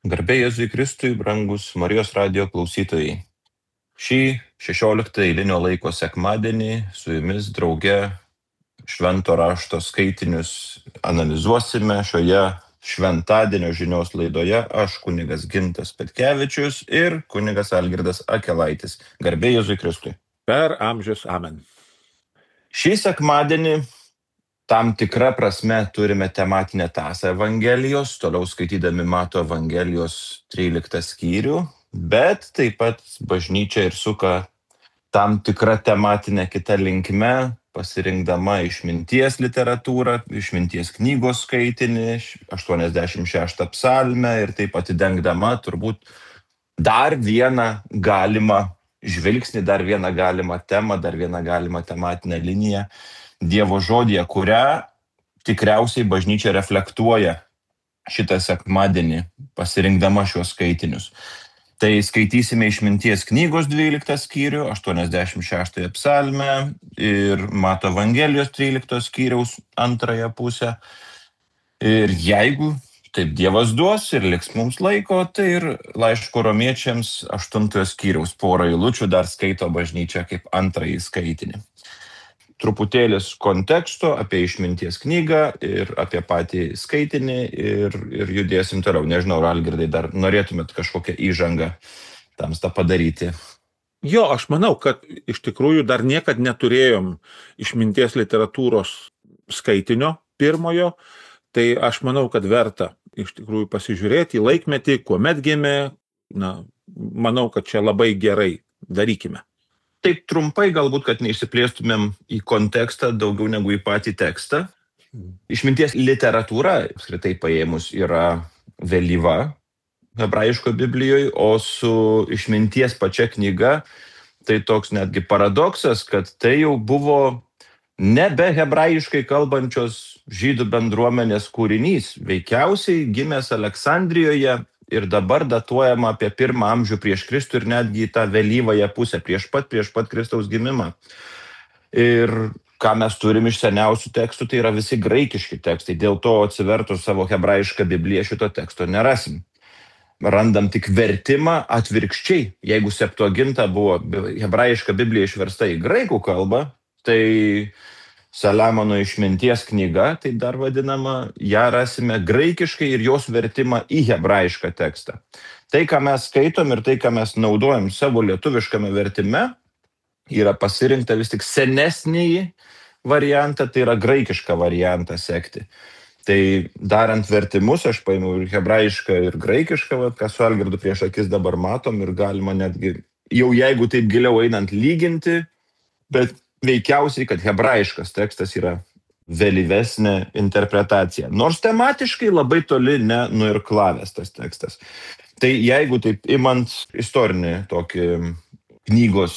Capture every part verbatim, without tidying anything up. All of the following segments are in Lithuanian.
Garbė Jėzui Kristui, brangus Marijos radijo klausytojai. Šį šešioliktą eilinio laiko sekmadienį su jumis drauge švento rašto skaitinius analizuosime šioje šventadienio žinios laidoje aš kunigas Gintas Petkevičius ir kunigas Algirdas Akelaitis. Garbė Jėzui Kristui. Per amžius amen. Šį sekmadienį tam tikra prasme turime tematinę tąsą Evangelijos, toliau skaitydami Mato Evangelijos tryliktą skyrių, bet taip pat bažnyčia ir suka tam tikrą tematinę kitą linkme, pasirinkdama išminties literatūrą, išminties knygos skaitinį, aštuoniasdešimt šeštą psalmę ir taip atidengdama turbūt dar vieną galimą žvilgsnį, dar vieną galimą temą, dar vieną galimą tematinę liniją Dievo žodyje, kurią tikriausiai bažnyčia reflektuoja šitą sekmadienį, pasirinkdama šios skaitinius. Tai skaitysime išminties knygos dvyliktą skyrių, aštuoniasdešimt šeštąją psalmę ir Mato Evangelijos trylikto skyriaus antrąją pusę. Ir jeigu taip Dievas duos ir liks mums laiko, tai ir laiško romiečiams aštuntojo skyriaus porą eilučių dar skaito bažnyčia kaip antrąjį skaitinį. Truputėlis konteksto apie išminties knygą ir apie patį skaitinį ir, ir judėsim toliau. Nežinau, Algirdai, dar norėtumėt kažkokią įžangą tamstą padaryti. Jo, aš manau, kad iš tikrųjų dar niekad neturėjom išminties literatūros skaitinio pirmojo, tai aš manau, kad verta iš tikrųjų pasižiūrėti į laikmetį, kuomet gimė. Na, manau, kad čia labai gerai darykime. Taip trumpai galbūt, kad neišsiplėstumėm į kontekstą daugiau negu į patį tekstą. Išminties literatūra, apskritai paėmus, yra vėlyva hebrajiško Biblijoje, o su išminties pačia knyga tai toks netgi paradoksas, kad tai jau buvo nebe hebrajiškai kalbančios žydų bendruomenės kūrinys, veikiausiai gimęs Aleksandrijoje ir dabar datuojama apie pirmą amžių prieš Kristų ir netgi tą vėlyvąją pusę, prieš pat, prieš pat Kristaus gimimą. Ir ką mes turim iš seniausių tekstų, tai yra visi graikiški tekstai, dėl to atsivertus savo hebrajišką Bibliją šito teksto nerasim. Randam tik vertimą atvirkščiai. Jeigu Septuaginta buvo hebrajiška Biblija išversta į graikų kalbą, tai Saliamono išminties knyga, tai dar vadinama, ją rasime graikiškai ir jos vertimą į hebrajišką tekstą. Tai, ką mes skaitom ir tai, ką mes naudojam savo lietuviškame vertime, yra pasirinkta vis tik senesnįjį variantą, tai yra graikišką variantą sekti. Tai darant vertimus, aš paėmiau ir hebrajišką, ir graikišką, vat, ką su Algirdu prieš akis dabar matom ir galima netgi, jau jeigu taip giliau einant, lyginti, bet veikiausiai, kad hebrajiškas tekstas yra vėlyvesnė interpretacija. Nors tematiškai labai toli nenuirklavęs tas tekstas. Tai jeigu taip imant istorinį tokį knygos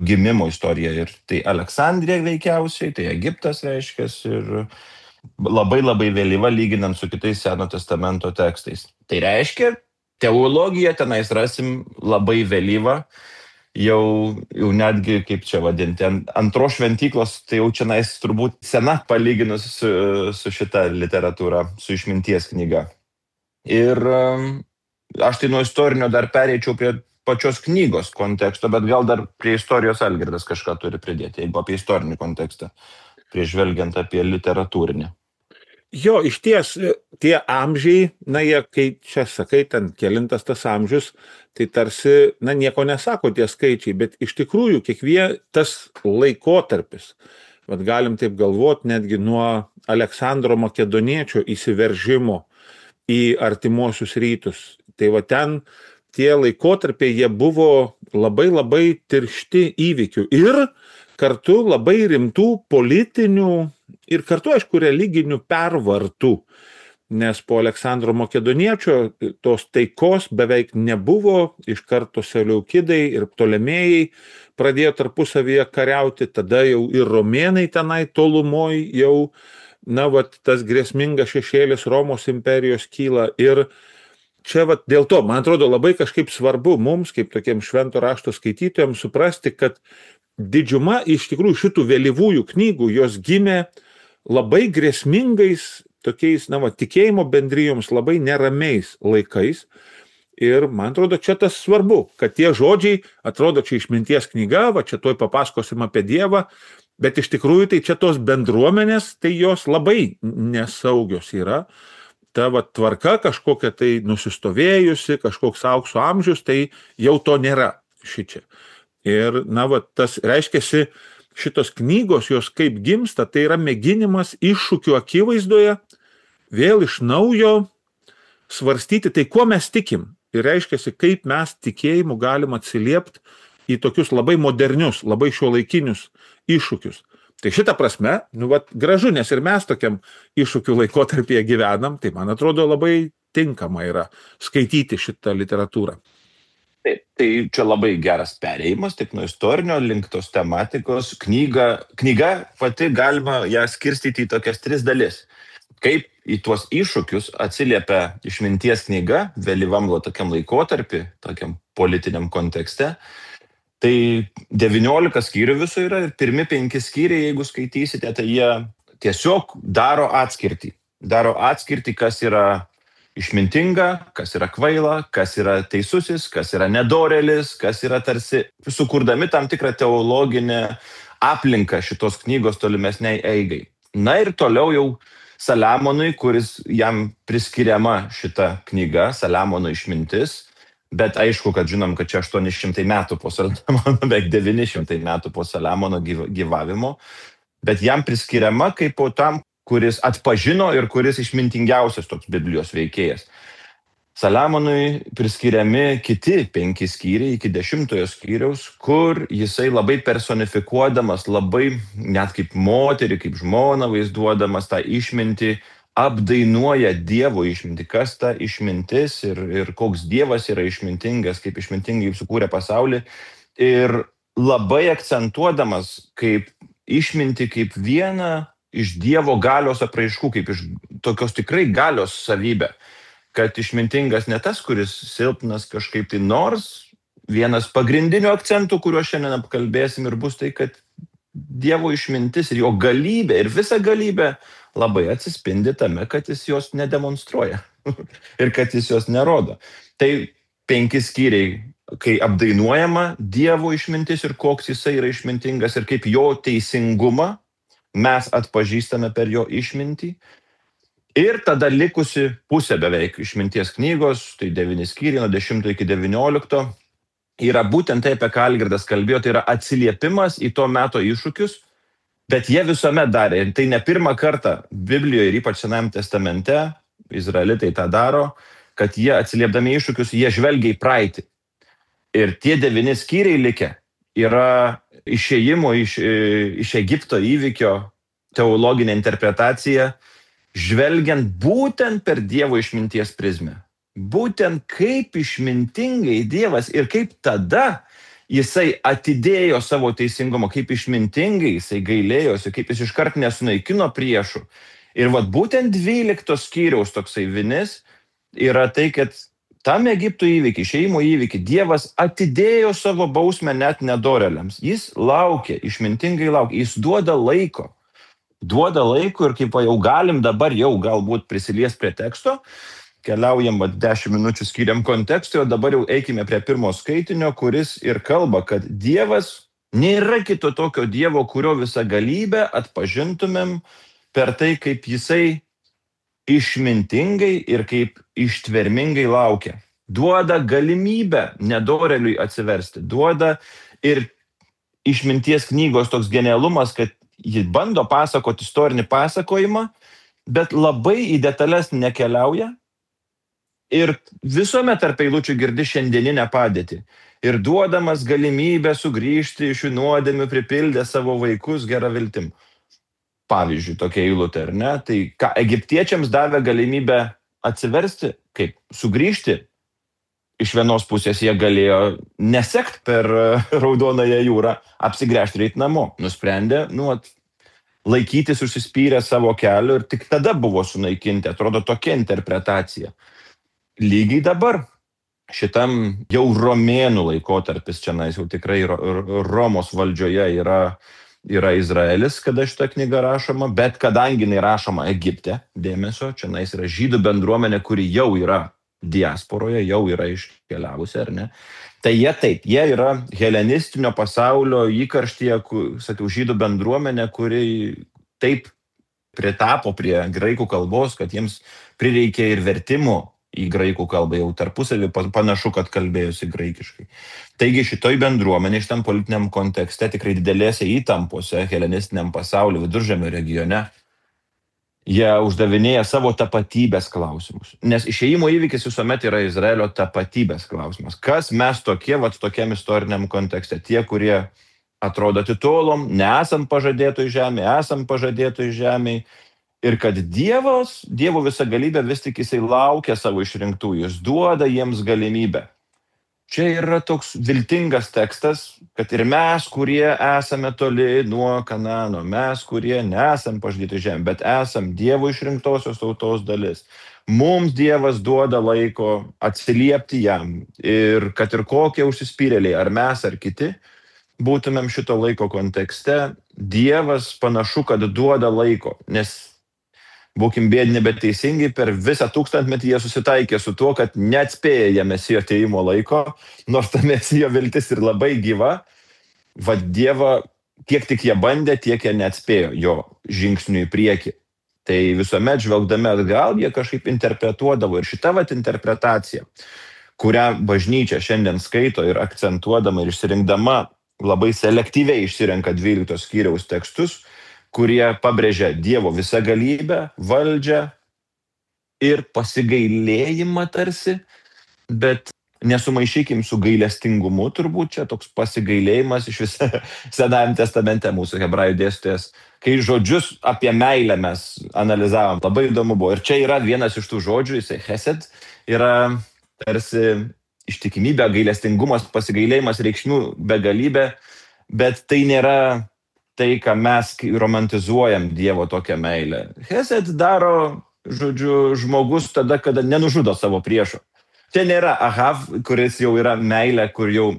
gimimo istoriją, ir tai Aleksandrija veikiausiai, tai Egiptas reiškia, ir labai labai vėlyva lyginant su kitais Seno testamento tekstais. Tai reiškia, teologiją tenais rasim labai vėlyvą, Jau, jau netgi, kaip čia vadinti, antros šventyklos, tai jau čia nais turbūt sena palyginus su, su šita literatūra, su išminties knyga. Ir aš tai nuo istorinio dar pereičiau prie pačios knygos konteksto, bet gal dar prie istorijos Algirdas kažką turi pridėti, jeigu apie istorinį kontekstą, prieš žvelgiant apie literatūrinį. Jo, iš ties, tie amžiai, na jie, kai čia sakai, ten kelintas tas amžius, tai tarsi, na nieko nesako tie skaičiai, bet iš tikrųjų kiekvienas tas laikotarpis, vat galim taip galvoti netgi nuo Aleksandro Makedoniečio įsiveržimo į artimuosius rytus. Tai va ten tie laikotarpiai, jie buvo labai labai tiršti įvykių ir kartu labai rimtų politinių ir kartu, aišku, religinių pervartų, nes po Aleksandro Makedoniečio tos taikos beveik nebuvo, iš karto Seleukidai ir Ptolemėjai pradėjo tarpusavyje kariauti, tada jau ir romėnai tenai tolumoj jau, na, vat, tas grėsmingas šešėlis Romos imperijos kyla ir čia vat, dėl to, man atrodo, labai kažkaip svarbu mums, kaip tokiem švento rašto skaitytojams, suprasti, kad didžiuma iš tikrųjų šitų vėlyvųjų knygų, jos gimė labai grėsmingais, tokiais, na, va, tikėjimo bendrijoms labai neramiais laikais. Ir man atrodo, čia tas svarbu, kad tie žodžiai, atrodo, čia išminties knyga, va čia toj papasakosim apie Dievą, bet iš tikrųjų tai čia tos bendruomenės, tai jos labai nesaugios yra. Ta va, tvarka kažkokia tai nusistovėjusi, kažkoks aukso amžius, tai jau to nėra šičia. Ir, na, va, tas reiškiasi, šitos knygos, jos kaip gimsta, tai yra mėginimas iššūkių akivaizdoje vėl iš naujo svarstyti, tai kuo mes tikim. Ir reiškiasi, kaip mes tikėjimu galim atsiliepti į tokius labai modernius, labai šiuolaikinius iššūkius. Tai šitą prasme, nu, vat, gražu, nes ir mes tokiam iššūkių laikotarpyje gyvenam, tai man atrodo labai tinkama yra skaityti šitą literatūrą. Taip, tai čia labai geras perėjimas, taip nuo istorinio link tos tematikos. Knyga, knyga pati galima ją skirstyti į tokias tris dalis. Kaip į tuos iššūkius atsiliepia išminties knyga, vėlyvam tokiam laikotarpį, tokiam politiniam kontekste. Tai devyniolika skyrių viso yra ir pirmi penki skyriai, jeigu skaitysite, tai jie tiesiog daro atskirtį. Daro atskirtį, kas yra išmintinga, kas yra kvaila, kas yra teisusis, kas yra nedorėlis, kas yra tarsi sukurdami tam tikrą teologinę aplinką šitos knygos tolimesniai eigai. Na ir toliau jau Saliamonui, kuris jam priskiriama šita knyga, Saliamono išmintis, bet aišku, kad žinom, kad čia aštuoni šimtai metų po Saliamono, beveik devyni šimtai metų po Saliamono gyvavimo, bet jam priskiriama kaip po tam, kuris atpažino ir kuris išmintingiausias toks Biblijos veikėjas. Saliamonui priskiriami kiti penki skyriai iki dešimtojo skyriaus, kur jisai labai personifikuodamas, labai net kaip moterį, kaip žmoną vaizduodamas tą išmintį, apdainuoja Dievo išmintį, kas ta išmintis ir, ir koks Dievas yra išmintingas, kaip išmintingai sukūrė pasaulį. Ir labai akcentuodamas kaip išmintį, kaip vieną iš Dievo galios apraiškų, kaip iš tokios tikrai galios savybę. Kad išmintingas ne tas, kuris silpnas kažkaip tai, nors vienas pagrindinių akcentų, kuriuo šiandien apkalbėsim ir bus tai, kad Dievo išmintis ir jo galybė ir visa galybė labai atsispindi tame, kad jis jos nedemonstruoja ir kad jis jos nerodo. Tai penki skyriai, kai apdainuojama Dievo išmintis ir koks jisai yra išmintingas ir kaip jo teisingumą mes atpažįstame per jo išmintį. Ir tada likusi pusė beveik išminties knygos, tai devyni skyriai nuo dešimto iki devyniolikto, yra būtent tai, apie ką Algirdas kalbėjo, tai yra atsiliepimas į to meto iššūkius, bet jie visuomet darė. Ir tai ne pirmą kartą Biblijoje ir ypač Senajame testamente, izraelitai tą daro, kad jie atsiliepdami iššūkius, jie žvelgia į praeitį. Ir tie devyni skyriai likę yra išėjimo iš, iš Egipto įvykio teologinė interpretacija, žvelgiant būtent per Dievo išminties prizmę. Būtent kaip išmintingai Dievas ir kaip tada jisai atidėjo savo teisingumą, kaip išmintingai jisai gailėjosi, kaip jis iškart nesunaikino priešų. Ir vat būtent dvyliktos skyriaus toksai vinis yra tai, kad tam Egipto įvykį, išėjimo įvykį, Dievas atidėjo savo bausmę net nedorėliams. Jis laukia, išmintingai laukia, jis duoda laiko. Duoda laiko ir kaip jau galim dabar jau galbūt prisilies prie teksto, keliaujam dešimt minučių skiriam kontekstui, o dabar jau eikime prie pirmo skaitinio, kuris ir kalba, kad Dievas nėra kito tokio Dievo, kurio visą galybę atpažintumėm per tai, kaip jisai išmintingai ir kaip ištvermingai laukia. Duoda galimybę nedorėliui atsiversti, duoda ir išminties knygos toks genialumas, kad ji bando pasakoti istorinį pasakojimą, bet labai į detalės nekeliauja ir visuomet tarp eilučių girdi šiandieninę padėtį. Ir duodamas galimybę sugrįžti iš jų nuodėmių pripildę savo vaikus gerą viltim. Pavyzdžiui, tokia eilutė, ar ne? Tai ką egiptiečiams davė galimybę atsiversti, kaip sugrįžti. Iš vienos pusės jie galėjo nesekt per Raudonąją jūrą, apsigręžti ir eiti namo. Nusprendė, nu, at, laikytis užsispyrę savo keliu ir tik tada buvo sunaikinti. Atrodo tokia interpretacija. Lygiai dabar šitam jau romėnų laikotarpis, čia jau tikrai Romos valdžioje yra, yra Izraelis, kada šita knyga rašoma, bet kadangi jinai rašoma Egipte, dėmesio, čia yra žydų bendruomenė, kuri jau yra diasporoje, jau yra iškeliavusi, ar ne? Tai jie taip, jie yra helenistinio pasaulio įkarštyje, sakiau, žydų bendruomenė, kuri taip pritapo prie graikų kalbos, kad jiems prireikė ir vertimo į graikų kalbą, jau tarpusavį panašu, kad kalbėjosi graikiškai. Taigi šitoj bendruomenė, šitam politiniam kontekste, tikrai didelėse įtampose helenistiniam pasaulio Viduržemio regione, jie uždavinėja savo tapatybės klausimus. Nes išėjimo įvykis visuomet yra Izraelio tapatybės klausimas. Kas mes tokie, vat tokiam istoriniam kontekste? Tie, kurie atrodo atitolom, nesam pažadėtoj žemė, esam pažadėtoj žemėj. Ir kad Dievas, Dievo visa galybė vis tik jisai laukia savo išrinktų, jis duoda jiems galimybę. Čia yra toks viltingas tekstas, kad ir mes, kurie esame toli nuo Kanano, mes, kurie nesam pažadėti žemė, bet esam Dievo išrinktosios tautos dalis. Mums Dievas duoda laiko atsiliepti jam ir kad ir kokie užsispyrėliai, ar mes, ar kiti, būtumėm šito laiko kontekste, Dievas panašu, kad duoda laiko, nes būkim bėdini, bet teisingai, per visą tūkstantmetį jie susitaikė su tuo, kad neatspėja Mesijo atėjimo laiko, nors ta Mesijo viltis ir labai gyva, va Dievą, kiek tik jie bandė, tiek jie neatspėjo jo žingsnių į priekį. Tai visuomet žvelgdami atgal, jie kažkaip interpretuodavo ir šitą vat interpretaciją, kurią bažnyčia šiandien skaito ir akcentuodama ir išsirinkdama, labai selektyviai išsirenka dvyliktos skyriaus tekstus, kurie pabrėžia Dievo visą galybę, valdžią ir pasigailėjimą tarsi, bet nesumaišykim su gailestingumu, turbūt čia toks pasigailėjimas iš visą Senajame testamente mūsų hebrajų dėstytojas, kai žodžius apie meilę mes analizavom, labai įdomu buvo. Ir čia yra vienas iš tų žodžių, jisai chesed, yra tarsi ištikimybė, gailestingumas, pasigailėjimas, reikšmių begalybė, bet tai nėra tai, ką mes romantizuojam Dievo tokią meilę. Chesed daro, žodžiu, žmogus tada, kada nenužudo savo priešo. Čia nėra ahav, kuris jau yra meilė, kur jau,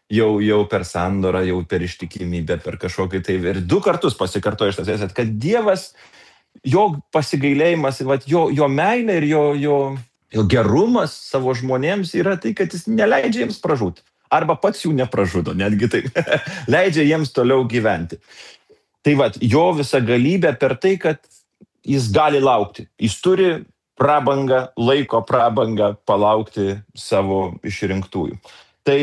jau, jau per sandorą, jau per ištikimybę, per kažkokį tai. Ir du kartus pasikartoja šitas chesed, kad Dievas, jo pasigailėjimas, jo, jo meilė ir jo, jo, jo gerumas savo žmonėms yra tai, kad jis neleidžia jiems pražūti. Arba pats jų nepražudo, netgi taip, leidžia jiems toliau gyventi. Tai vat, jo visa galybė per tai, kad jis gali laukti. Jis turi prabangą, laiko prabangą palaukti savo išrinktųjų. Tai,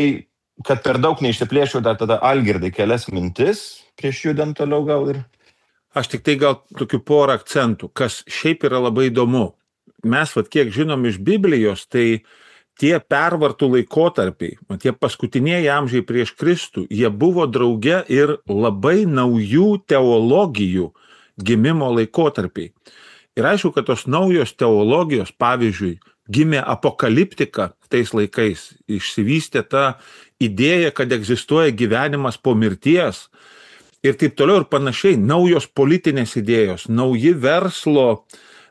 kad per daug neišsiplėšiau, dar tada Algirdai kelias mintis, prieš judant toliau gal ir. Aš tik tai gal tokių porą akcentų, kas šiaip yra labai įdomu. Mes, vat, kiek žinom iš Biblijos, tai tie pervartų laikotarpiai, tie paskutinieji amžiai prieš Kristų, jie buvo drauge ir labai naujų teologijų gimimo laikotarpiai. Ir aišku, kad tos naujos teologijos, pavyzdžiui, gimė apokaliptika tais laikais, išsivystė ta idėja, kad egzistuoja gyvenimas po mirties ir taip toliau ir panašiai, naujos politinės idėjos, nauji verslo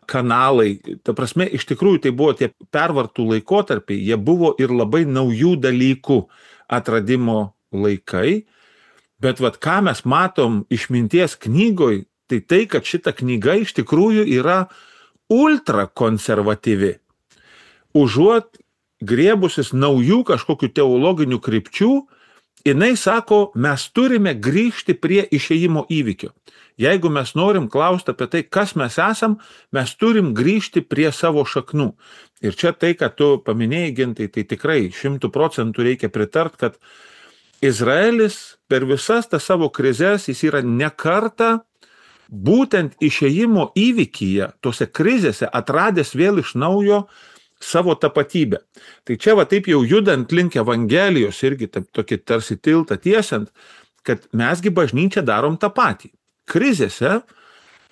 kanalai, ta prasme, iš tikrųjų tai buvo tie pervartų laikotarpiai, jie buvo ir labai naujų dalykų atradimo laikai, bet vat ką mes matom išminties knygoj, tai tai, kad šita knyga iš tikrųjų yra ultra konservatyvi. Užuot griebusis naujų kažkokių teologinių krypčių, jinai sako, mes turime grįžti prie išėjimo įvykio. Jeigu mes norim klausti apie tai, kas mes esam, mes turim grįžti prie savo šaknų. Ir čia tai, kad tu paminėjai, Gintai, tai tikrai šimtų procentų reikia pritart, kad Izraelis per visas tas savo krizes, jis yra ne kartą būtent išėjimo įvykyje, tose krizėse atradęs vėl iš naujo savo tapatybę. Tai čia va taip jau judant link Evangelijos irgi taip, tokį tarsi tiltą tiesiant, kad mesgi bažnyčia darom tą patį. Krizėse,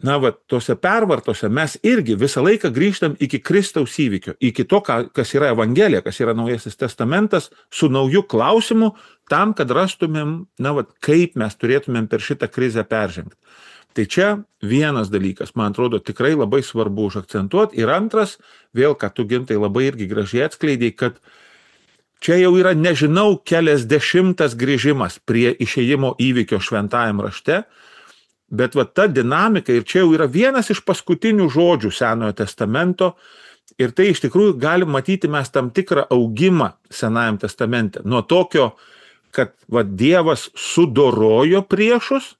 na va, tose pervartose mes irgi visą laiką grįžtam iki Kristaus įvykio, iki to, kas yra Evangelija, kas yra Naujasis testamentas, su nauju klausimu, tam, kad rastumėm, na va, kaip mes turėtumėm per šitą krizę peržengti. Tai čia vienas dalykas, man atrodo, tikrai labai svarbu užakcentuoti. Ir antras, vėl, kad tu, Gintai, labai irgi gražiai atskleidėjai, kad čia jau yra, nežinau, keliasdešimtas grįžimas prie išėjimo įvykio šventajam rašte, bet va ta dinamika, ir čia jau yra vienas iš paskutinių žodžių Senojo testamento, Ir tai iš tikrųjų gali matyti mes tam tikrą augimą Senajam testamente. Nuo tokio, kad va, Dievas sudorojo priešus,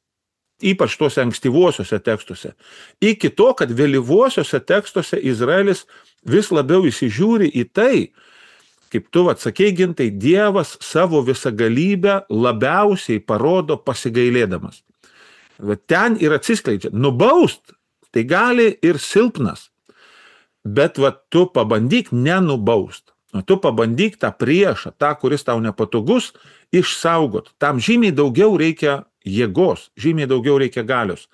ypač tuose ankstyvuosiuose tekstuose, iki to, kad vėlyvuosiuose tekstuose Izraelis vis labiau įsižiūri į tai, kaip tu atsakei, Gintai, Dievas savo visagalybę labiausiai parodo pasigailėdamas. Va, ten ir atsiskleidžia. Nubaust tai gali ir silpnas. Bet va, tu pabandyk nenubaust. O tu pabandyk tą priešą, tą, kuris tau nepatogus, išsaugot. Tam žymiai daugiau reikia jėgos, žymiai daugiau reikia galios.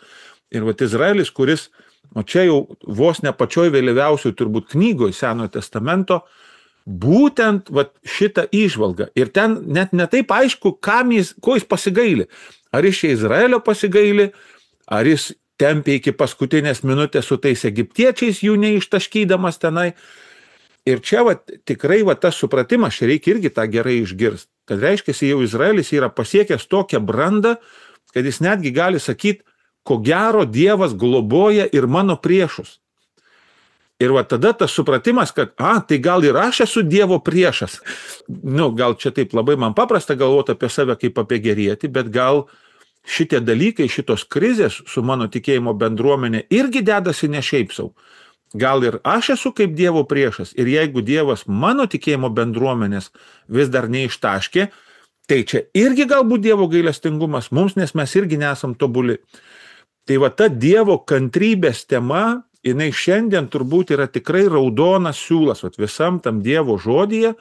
Ir va, Izraelis, kuris, o čia jau vos ne pačioj vėliausioj turbūt knygoj Senojo testamento, būtent va, šitą įžvalgą. Ir ten net netaip aišku, kam jis, ko jis pasigaili. Ar jis čia Izraelio pasigaili, ar jis tempė iki paskutinės minutės su tais egiptiečiais, jų neištaškydamas tenai. Ir čia va, tikrai va, tas supratimas, čia reikia irgi tą gerai išgirsti, kad reiškia, jau Izraelis yra pasiekęs tokią brandą, kad jis netgi gali sakyti, ko gero Dievas globoja ir mano priešus. Ir va tada tas supratimas, kad, a, tai gal ir aš esu Dievo priešas. Nu, gal čia taip labai man paprasta galvoti apie save kaip apie gerietį, bet gal šitie dalykai, šitos krizės su mano tikėjimo bendruomenė irgi dedasi ne šiaip sau. Gal ir aš esu kaip Dievo priešas ir jeigu Dievas mano tikėjimo bendruomenės vis dar neištaškė, tai čia irgi galbūt Dievo gailestingumas mums, nes mes irgi nesam tobuli. Tai va ta Dievo kantrybės tema, jinai šiandien turbūt yra tikrai raudonas siūlas, va visam tam Dievo žodyje,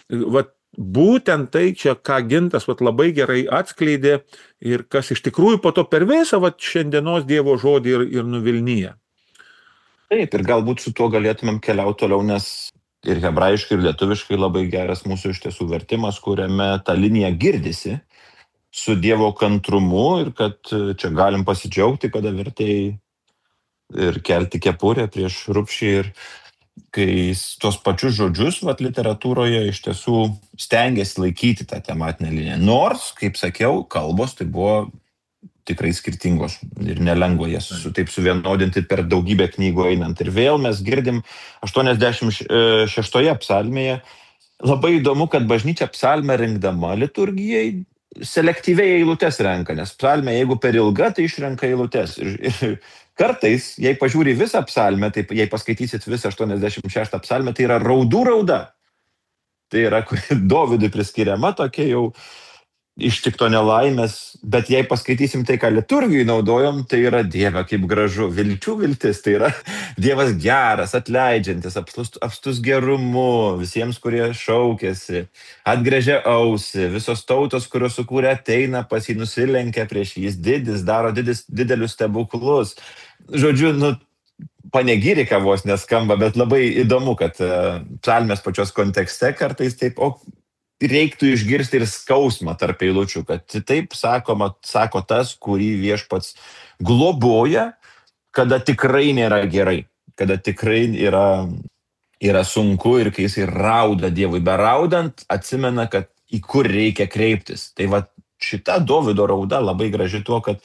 va būtent tai čia, ką Gintas vat, labai gerai atskleidė ir kas iš tikrųjų po to per visą vat, šiandienos Dievo žodį ir, ir nuvilnyja. Taip, ir galbūt su tuo galėtumėm keliauti toliau, nes ir hebrajiškai, ir lietuviškai labai geras mūsų iš tiesų vertimas, kuriame ta linija girdisi su Dievo kantrumu ir kad čia galim pasidžiaugti, kada vertėjai ir kelti kepurę prieš rupšį ir kai tuos pačius žodžius vat, literatūroje iš tiesų stengiasi laikyti tą tematinę liniją. Nors, kaip sakiau, kalbos tai buvo tikrai skirtingos ir nelengva jas su, taip suvienodinti per daugybę knygų einant. Ir vėl mes girdim aštuoniasdešimt šeštoje psalmėje. Labai įdomu, kad bažnyčia psalmę rinkdama liturgijai selektyviai eilutes renka, nes psalmė, jeigu per ilga, tai išrenka eilutes. Ir, ir kartais, jei pažiūri visą psalmę, tai jei paskaitysit visą aštuoniasdešimt šeštą psalmę, tai yra raudų rauda. Tai yra, kuri Dovydui priskiriama tokia jau ištikto nelaimės, bet jei paskaitysim tai, ką liturgijai naudojom, tai yra Dieve kaip gražu, vilčių viltis, tai yra Dievas geras, atleidžiantis, apstus, apstus gerumu, visiems, kurie šaukėsi, atgręžia ausį, visos tautos, kurios sukūrė, ateina pas jį, nusilenkia prieš jį, jis didis, daro didis, didelius stebuklus. Žodžiu, nu, panegyrika vos neskamba, bet labai įdomu, kad uh, psalmės pačios kontekste kartais taip, o reiktų išgirsti ir skausmą tarp eilučių, kad taip sakoma, sako tas, kurį viešpats globoja, kada tikrai nėra gerai, kada tikrai yra, yra sunku ir kai jisai rauda Dievui. Beraudant atsimena, kad į kur reikia kreiptis. Tai va šita Dovydo rauda labai graži tuo, kad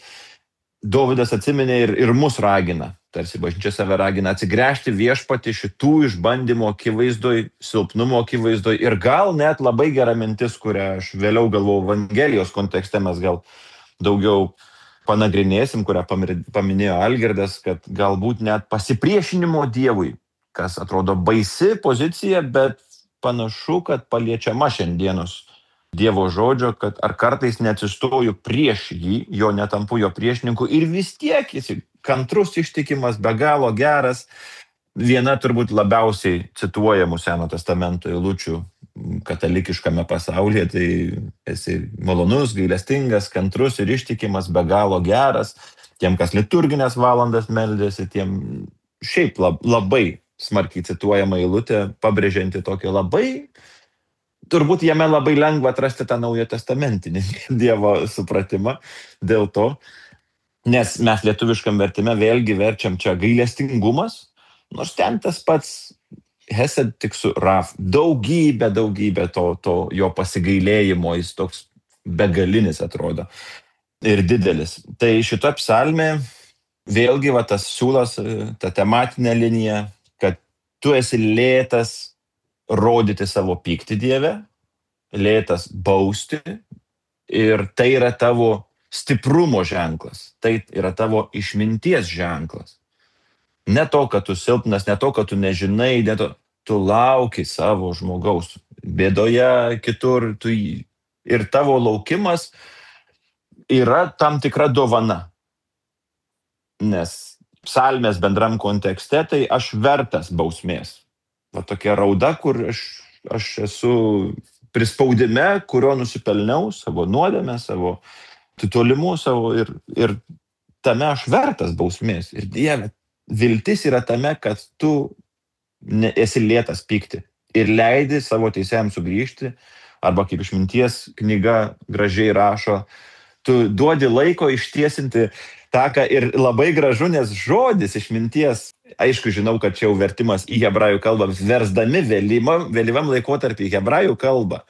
Dovydas atsiminė ir, ir mus ragina, tarsi bažnyčia save ragina atsigręžti viešpatį šitų išbandymų akivaizdoj, silpnumo akivaizdoj ir gal net labai gera mintis, kurią aš vėliau galvojau Evangelijos kontekste mes gal daugiau panagrinėsim, kurią paminėjo Algirdas, kad galbūt net pasipriešinimo Dievui, kas atrodo baisi pozicija, bet panašu, kad paliečiama šiandienos Dievo žodžio, kad ar kartais neatsistoju prieš jį, jo netampu jo priešininku ir vis tiek jis kantrus, ištikimas, be galo geras. Viena turbūt labiausiai cituojamų Seno testamento eilučių katalikiškame pasaulyje, tai esi malonus, gailestingas, kantrus ir ištikimas, be galo geras. Tiem, kas liturginės valandas meldėsi, tiem šiaip labai smarkiai cituojama eilutė, pabrėžianti tokį labai turbūt jame labai lengva atrasti tą naują testamentinį Dievo supratimą dėl to, nes mes lietuviškam vertime vėlgi verčiam čia gailestingumas, nors ten tas pats Hesed tik su Raf, daugybė, daugybė to, to jo pasigailėjimo, jis toks begalinis atrodo ir didelis. Tai šita psalmė vėlgi va tas siūlas, ta tematinė linija, kad tu esi lėtas rodyti savo pyktį Dieve, lėtas bausti ir tai yra tavo stiprumo ženklas, tai yra tavo išminties ženklas. Ne to, kad tu silpnas, ne to, kad tu nežinai, ne to, tu lauki savo žmogaus bėdoje, kitur, tu jį. Ir tavo laukimas yra tam tikra dovana. Nes psalmės bendram kontekste, tai aš vertas bausmės. Va tokia rauda, kur aš, aš esu prispaudime, kurio nusipelniau savo nuodėmę, savo titolimu, savo ir, ir tame aš vertas bausmės. Ir Dieve, viltis yra tame, kad tu ne, esi lėtas pykti ir leidi savo teisėjams sugrįžti, arba kaip išminties knyga gražiai rašo, tu duodi laiko ištiesinti taką ir labai gražu, nes žodis išminties, aišku, žinau, kad čia jau vertimas į hebrajų kalbą, versdami vėlyvam, vėlyvam laikotarpį į hebrajų kalbą.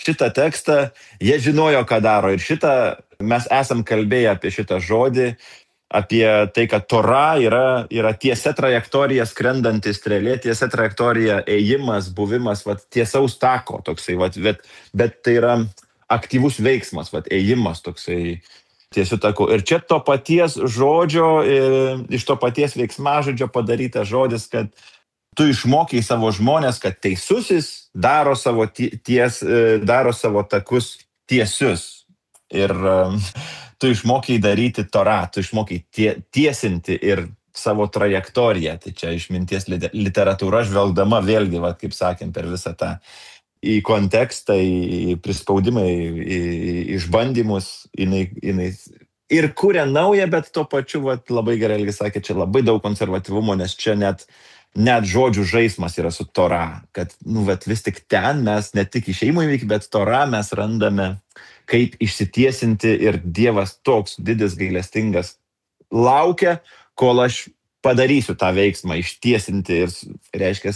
Šitą tekstą jie žinojo, ką daro ir šitą mes esam kalbėję apie šitą žodį, apie tai, kad Tora yra, yra tiesia trajektorija skrendanti strėlė, tiesia trajektorija ėjimas, buvimas, vat, tiesaus tako toksai, vat, bet, bet tai yra aktyvus veiksmas, vat, ėjimas toksai tiesiu taku. Ir čia to paties žodžio, iš to paties veiksmažodžio padarytas žodis, kad tu išmokai savo žmonės, kad teisusis daro savo, ties, daro savo takus tiesius. Ir tu išmokai daryti Torą, tu išmokai tie, tiesinti ir savo trajektoriją. Tai čia išminties literatūra žvelgdama vėlgi, va, kaip sakėm, per visą tą į kontekstą, į prispaudimą, į, į išbandymus, jinai, jinai ir kuria naują, bet tuo pačiu, va, labai gerai Elgis sakė, čia labai daug konservatyvumo, nes čia net, net žodžių žaismas yra su Tora, kad nu, vat, vis tik ten mes ne tik išėjimo įvykį, bet Tora mes randame kaip išsitiesinti ir Dievas toks didis gailestingas laukia, kol aš padarysiu tą veiksmą, ištiesinti ir, reiškia,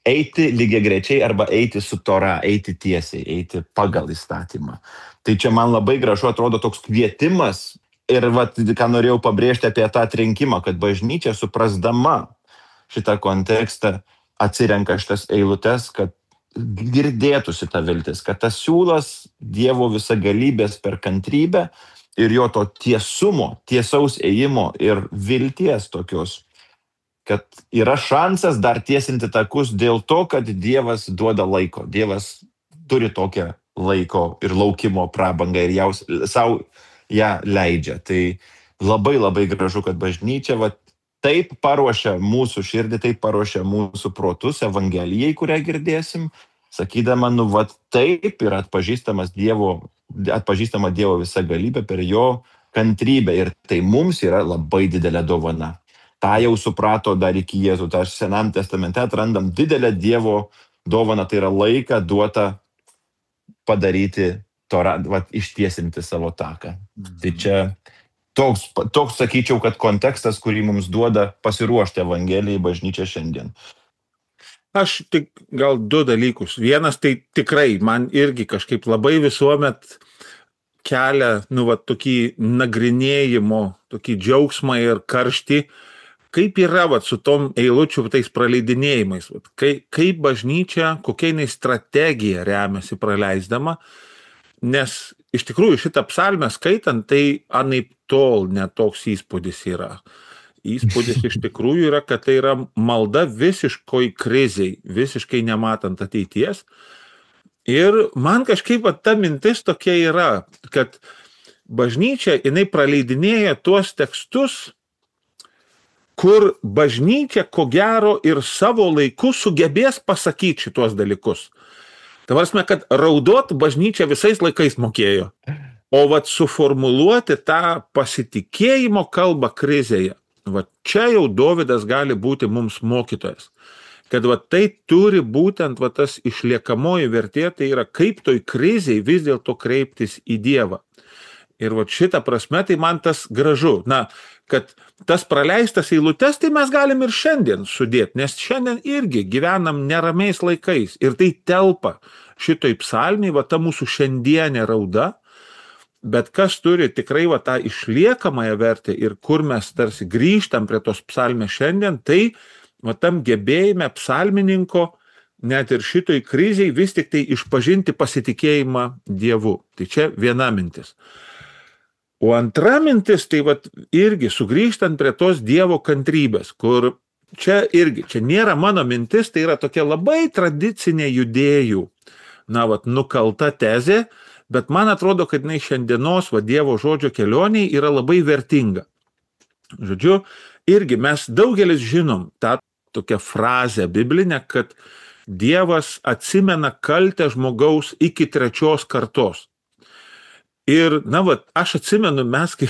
eiti lygiagrečiai arba eiti su Tora, eiti tiesiai, eiti pagal įstatymą. Tai čia man labai gražu atrodo toks kvietimas ir, vat, ką norėjau pabrėžti apie tą atrinkimą, kad bažnyčia suprasdama šitą kontekstą atsirenka šitas eilutes, kad girdėtųsi ta viltis, kad tas siūlas Dievo visagalybės per kantrybę ir jo to tiesumo, tiesaus ėjimo ir vilties tokios, kad yra šansas dar tiesinti takus dėl to, kad Dievas duoda laiko. Dievas turi tokią laiko ir laukimo prabangą ir jaus, savo ją leidžia. Tai labai labai gražu, kad bažnyčia va, taip paruošia mūsų širdį, taip paruošia mūsų protus Evangelijai, kurią girdėsim, sakydama, nu, va, taip yra atpažįstamas Dievo, atpažįstama Dievo visa galybė per jo kantrybę ir tai mums yra labai didelė dovana. Ta jau suprato dar iki Jėzų, tai aš Senam testamente atrandam didelę Dievo dovaną, tai yra laiką duota padaryti, torą, va, ištiesinti savo taką. Mhm. Tai čia toks, toks, sakyčiau, kad kontekstas, kurį mums duoda pasiruošti Evangelijai bažnyčia šiandien. Aš tik gal du dalykus. Vienas tai tikrai man irgi kažkaip labai visuomet kelia, nu, va, tokį nagrinėjimo, tokį džiaugsmą ir karštį, kaip yra va, su tom eilučių tais praleidinėjimais, va, kaip, kaip bažnyčia, kokia jinai strategija remiasi praleisdama, nes iš tikrųjų šitą psalmę skaitant, tai anaip tol netoks įspūdis yra. Įspūdis iš tikrųjų yra, kad tai yra malda visiškoj kriziai, visiškai nematant ateities. Ir man kažkaip va, ta mintis tokia yra, kad bažnyčia jinai praleidinėja tuos tekstus, kur bažnyčia ko gero ir savo laiku sugebės pasakyti šitos dalykus. Tai prasme, kad raudot bažnyčia visais laikais mokėjo, o vat suformuluoti tą pasitikėjimo kalbą krizėje, vat čia jau Dovydas gali būti mums mokytojas. Kad vat tai turi būtent vat tas išliekamoji vertė, tai yra kaip toj krizėj vis dėlto kreiptis į Dievą. Ir vat šitą prasme tai man tas gražu. Na, kad tas praleistas eilutes, tai mes galim ir šiandien sudėti, nes šiandien irgi gyvenam neramiais laikais. Ir tai telpa šitoj psalmiai, va ta mūsų šiandienė rauda, bet kas turi tikrai va tą išliekamąją vertę ir kur mes tarsi grįžtam prie tos psalmės šiandien, tai va tam gebėjime psalmininko, net ir šitoj kriziai vis tik tai išpažinti pasitikėjimą Dievu. Tai čia viena mintis. O antra mintis, tai vat irgi sugrįžtant prie tos Dievo kantrybės, kur čia irgi, čia nėra mano mintis, tai yra tokia labai tradicinė judėjų, na vat, nukalta tezė, bet man atrodo, kad jinai šiandienos va, Dievo žodžio kelioniai yra labai vertinga. Žodžiu, irgi mes daugelis žinom tą tokią frazę biblinę, kad Dievas atsimena kaltę žmogaus iki trečios kartos. Ir, na, va, aš atsimenu, mes kai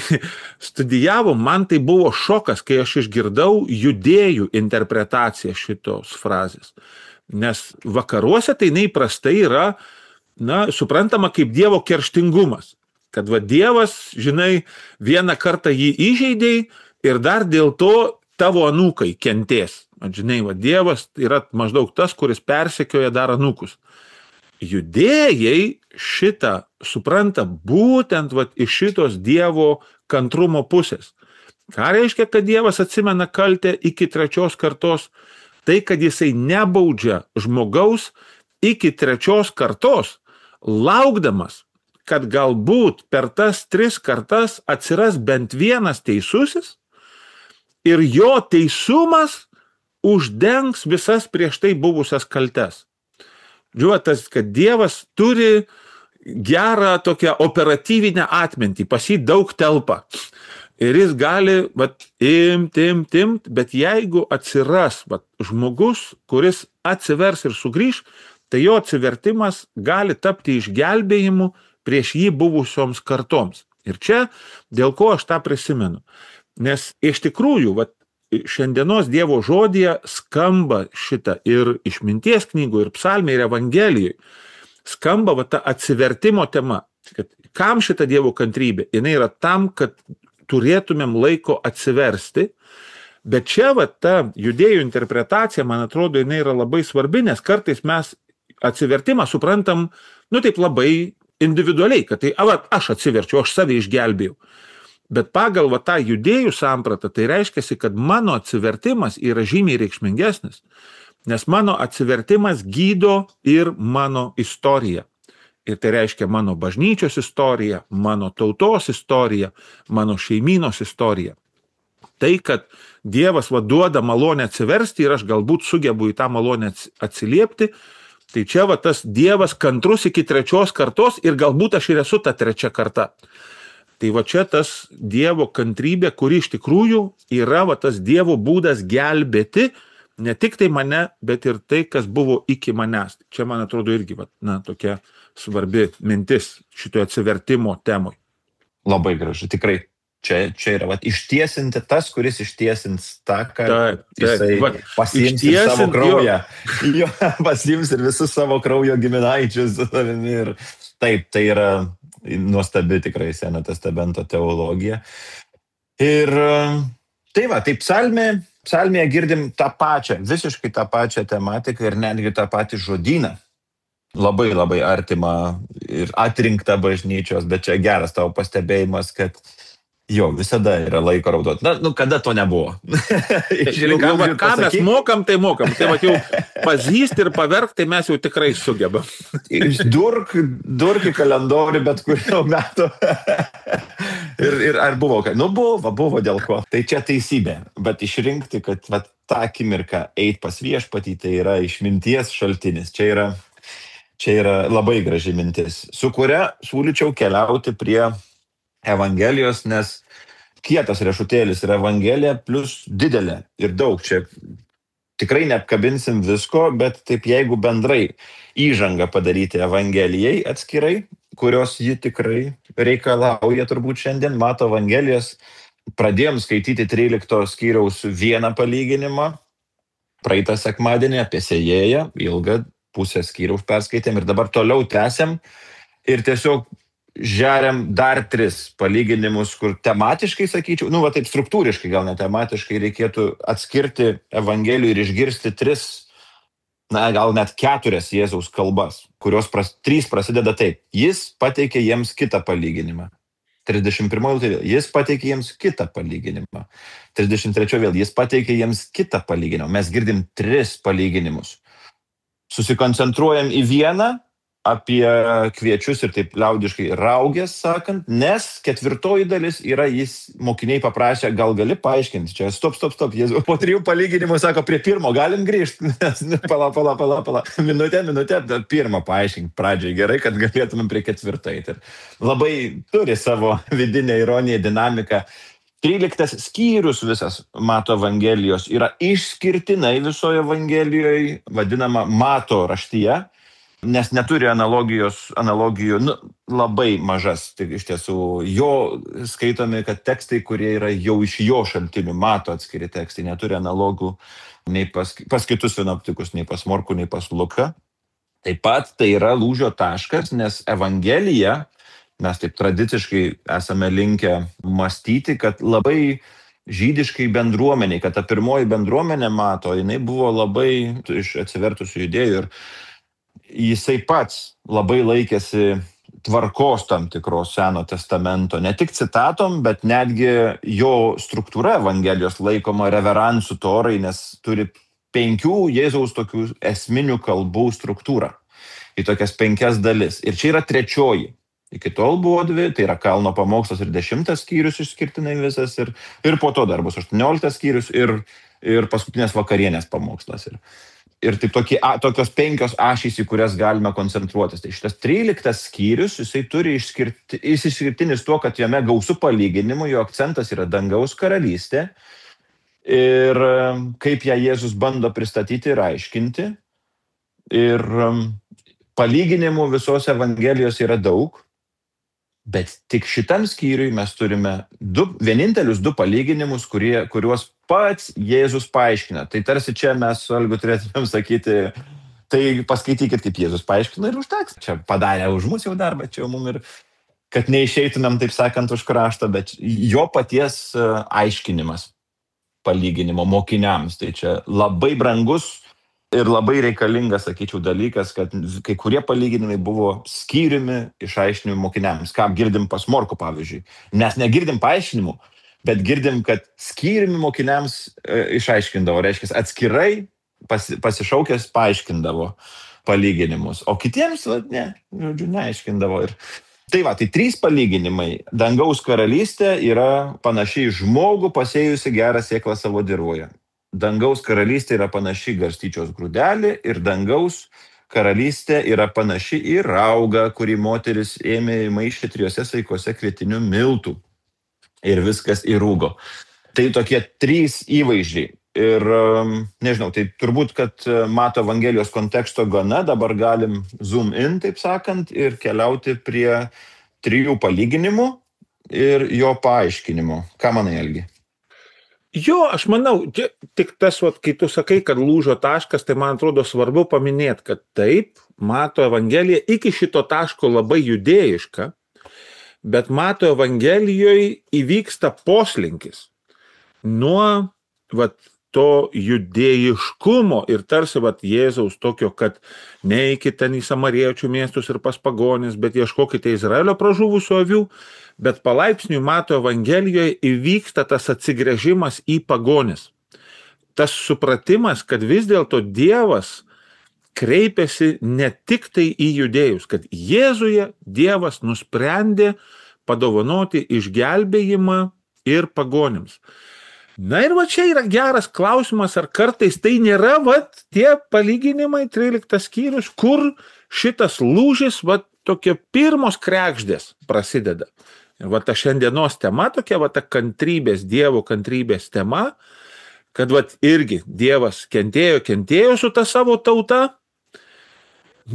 studijavom, man tai buvo šokas, kai aš išgirdau judėjų interpretaciją šitos frazės. Nes vakaruose tai neįprastai yra, na, suprantama kaip Dievo kerštingumas. Kad, va, Dievas, žinai, vieną kartą jį įžeidėjai ir dar dėl to tavo anūkai kentės. Žinai, va, Dievas yra maždaug tas, kuris persekioja dar anūkus. Judėjai šitą supranta būtent vat, iš šitos Dievo kantrumo pusės. Ką reiškia, kad Dievas atsimena kaltę iki trečios kartos? Tai, kad jisai nebaudžia žmogaus iki trečios kartos, laukdamas, kad galbūt per tas tris kartas atsiras bent vienas teisusis ir jo teisumas uždengs visas prieš tai buvusias kaltes. Žiūrėtas, kad Dievas turi gerą tokią operatyvinę atmintį, pas jį daug telpa. Ir jis gali vat, imt, imt, imt, bet jeigu atsiras vat, žmogus, kuris atsivers ir sugrįž, tai jo atsivertimas gali tapti išgelbėjimu prieš jį buvusioms kartoms. Ir čia, dėl ko aš tą prisimenu. Nes iš tikrųjų, vat, šiandienos Dievo žodyje skamba šitą ir išminties knygų, ir psalmė, ir evangelijai. Skamba va, ta atsivertimo tema. Kad kam šita Dievo kantrybė? Jinai yra tam, kad turėtumėm laiko atsiversti. Bet čia va, ta judėjų interpretacija, man atrodo, jinai yra labai svarbi, nes kartais mes atsivertimą suprantam, nu taip labai individualiai, kad tai, va, aš atsiverčiu, aš save išgelbėjau. Bet pagal va, tą judėjų sampratą, tai reiškia, kad mano atsivertimas yra žymiai reikšmingesnis, nes mano atsivertimas gydo ir mano istoriją. Ir tai reiškia mano bažnyčios istoriją, mano tautos istoriją, mano šeimynos istoriją. Tai, kad Dievas va, duoda malonę atsiversti ir aš galbūt sugebu į tą malonę atsiliepti, tai čia va, tas Dievas kantrus iki trečios kartos ir galbūt aš ir esu ta trečia karta. Tai va čia tas Dievo kantrybė, kuri iš tikrųjų yra va, tas Dievo būdas gelbėti ne tik tai mane, bet ir tai, kas buvo iki manęs. Čia, man atrodo, irgi va, na, tokia svarbi mintis šitoje atsivertimo temoj. Labai gražu, tikrai. Čia, čia yra va, ištiesinti tas, kuris ištiesins tą, kad taip, taip, jisai va, pasiims ir savo kraują. Jo, pasiims ir visus savo kraujo giminaičius. Ir taip, tai yra nuostabi tikrai Senojo testamento teologija. Ir tai va, taip psalmė, psalmėje girdim tą pačią, visiškai tą pačią tematiką ir netgi tą patį žodyną. Labai labai artima ir atrinkta bažnyčios, bet čia geras tavo pastebėjimas, kad jo, visada yra laiko raudot. Na, nu, kada to nebuvo? Žiūrėk, va, ką mes mokam, tai mokam. Tai va, jau pazysti ir paverkti, tai mes jau tikrai sugebam. Durk, durk į kalendorių, bet kurio metu. ir, ir ar buvo, nu buvo, buvo dėl ko. Tai čia teisybė, bet išrinkti, kad va, tą akimirką eit pas viešpatį, tai yra išminties šaltinis. Čia yra, čia yra labai graži mintis, su kuria siūlyčiau keliauti prie Evangelijos, nes kietas riešutėlis yra Evangelija plus didelė ir daug. Čia tikrai neapkabinsim visko, bet taip jeigu bendrai įžangą padaryti Evangelijai atskirai, kurios ji tikrai reikalauja turbūt šiandien, mato Evangelijos, pradėjom skaityti trylikto skyriaus vieną palyginimą, praeitą sekmadienį apie sėjėją, ilgą pusę skyriaus perskaitėm ir dabar toliau tęsiam ir tiesiog žeriam dar tris palyginimus, kur tematiškai, sakyčiau, nu va taip struktūriškai, gal ne tematiškai, reikėtų atskirti Evangelijų ir išgirsti tris, na gal net keturias Jėzaus kalbas, kurios pras, trys prasideda taip. Jis pateikė jiems kitą palyginimą. trisdešimt pirmoji eilutė vėl, jis pateikė jiems kitą palyginimą. trisdešimt trečioji vėl, jis pateikė jiems kitą palyginimą. Mes girdim tris palyginimus. Susikoncentruojam į vieną, apie kviečius ir taip liaudiškai raugės sakant, nes ketvirtoji dalis yra, jis mokiniai paprašė, gal gali paaiškinti, čia stop, stop, stop, Jėzus po trijų palyginimų sako, prie pirmo galim grįžti, nes pala, pala, pala, pala, minutė, minutė, pirmą paaiškink pradžiai, gerai, kad galėtumėm prie ketvirtai. Ir labai turi savo vidinę ironiją, dinamiką. tryliktas skyrius visas Mato Evangelijos yra išskirtinai visoje Evangelijoje, vadinama Mato raštyje, nes neturi analogijos, analogijų, nu, labai mažas. Tai iš tiesų jo skaitomi, kad tekstai, kurie yra jau iš jo šaltinių, Mato atskiri tekstai, neturi analogų nei pas, pas kitus sinoptikus, nei pas Morkų, nei pas Luką. Taip pat tai yra lūžio taškas, nes Evangelija, mes taip tradiciškai esame linkę mąstyti, kad labai žydiškai bendruomeniai, kad ta pirmoji bendruomenė Mato, jinai buvo labai iš atsivertusių judėjų ir jisai pats labai laikėsi tvarkos tam tikros Seno testamento, ne tik citatom, bet netgi jo struktūra Evangelijos laikoma reveransų torai, nes turi penkių Jėzaus tokių esminių kalbų struktūrą į tokias penkias dalis. Ir čia yra trečioji. Iki tol buvo dvi, tai yra Kalno pamokslas ir dešimtas skyrius išskirtinai visas, ir, ir po to dar bus aštuonioliktas skyrius ir, ir paskutinės vakarienės pamokslas. Ir, ir taip tokie, a, tokios penkios ašys, į kurias galime koncentruotis. Tai šitas tryliktas skyrius, jisai turi išskirti, jis išskirtinis tuo, kad jame gausų palyginimų, jo akcentas yra dangaus karalystė ir kaip ją Jėzus bando pristatyti ir aiškinti. Ir palyginimų visos Evangelijos yra daug. Bet tik šitam skyriui mes turime du, vienintelius du palyginimus, kurie, kuriuos pats Jėzus paaiškina. Tai tarsi čia mes su Algiu turėtumėm sakyti, tai paskaitykit, kaip Jėzus paaiškina ir užteks. Čia padarė už mus jau darbą, čia jau mum ir, kad neišeitumėm, taip sakant, už kraštą, bet jo paties aiškinimas palyginimo mokiniams. Tai čia labai brangus ir labai reikalingas, sakyčiau, dalykas, kad kai kurie palyginimai buvo skyriumi išaiškinimų mokiniams. Ką girdim pas Morkų, pavyzdžiui. Mes negirdim paaiškinimų, bet girdim, kad skyriumi mokiniams e, išaiškindavo. Reiškia, atskirai pasi, pasišaukęs paaiškindavo palyginimus. O kitiems, va, ne, žodžiu, neaiškindavo. Ir tai va, tai trys palyginimai. Dangaus karalystė yra panašiai žmogų pasėjusi gerą sėklą savo dirvoje. Dangaus karalystė yra panaši garstyčios grūdelį ir dangaus karalystė yra panaši į raugą, kurį moteris ėmė maišyti trijose saikuose kvietinių miltų ir viskas įrūgo. Tai tokie trys įvaizdžiai. Ir nežinau, tai turbūt, kad Mato Evangelijos konteksto gana, dabar galim zoom in, taip sakant, ir keliauti prie trijų palyginimų ir jo paaiškinimo. Ką manai, Algi? Jo, aš manau, tik tas, vat, kai tu sakai, kad lūžio taškas, tai man atrodo svarbu paminėti, kad taip, Mato Evangelija iki šito taško labai judėjiška, bet Mato Evangelijoje įvyksta poslinkis nuo vat, to judėjiškumo ir tarsi vat, Jėzaus tokio, kad neikite ten į samariečių miestus ir pas pagonis, bet ieškokite Izraelio pražuvusių avių. Bet palaipsniui Mato Evangelijoje įvyksta tas atsigręžimas į pagonis. Tas supratimas, kad vis dėlto Dievas kreipiasi ne tik tai į judėjus, kad Jėzuje Dievas nusprendė padovanoti išgelbėjimą ir pagonims. Na ir va čia yra geras klausimas, ar kartais tai nėra va tie palyginimai, tryliktas skyrius, kur šitas lūžis, va tokie pirmos krekždės prasideda. Ir va ta šiandienos tema tokia, va ta kantrybės, Dievo kantrybės tema, kad va irgi Dievas kentėjo, kentėjo su ta savo tauta